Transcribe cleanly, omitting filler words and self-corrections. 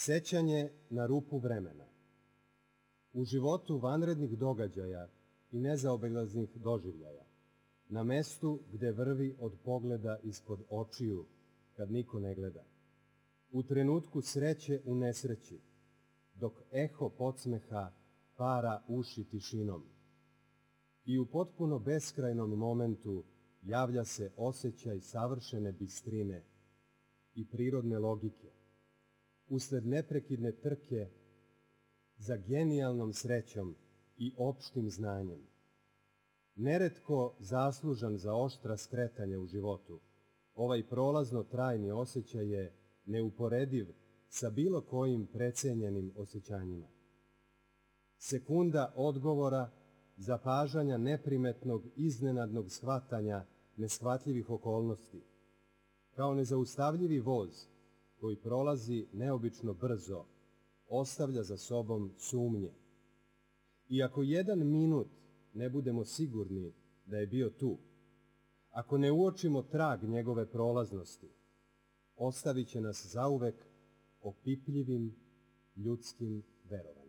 Sećanje na rupu vremena. U životu vanrednih događaja i nezaobilaznih doživljaja, na mestu gde vrvi od pogleda ispod očiju, kad niko ne gleda, u trenutku sreće u nesreći, dok eho podsmeha para uši tišinom, i u potpuno beskrajnom momentu javlja se osjećaj savršene bistrine i prirodne logike, usled neprekidne trke za genijalnom srećom i opštim znanjem. Neretko zaslužan za oštra skretanja u životu, ovaj prolazno trajni osjećaj je neuporediv sa bilo kojim precenjenim osjećanjima. Sekunda odgovora, zapažanja neprimetnog, iznenadnog shvatanja neshvatljivih okolnosti, kao nezaustavljivi voz koji prolazi neobično brzo, ostavlja za sobom sumnje. I ako jedan minut ne budemo sigurni da je bio tu, ako ne uočimo trag njegove prolaznosti, ostavit će nas zauvek opipljivim ljudskim verovanjem.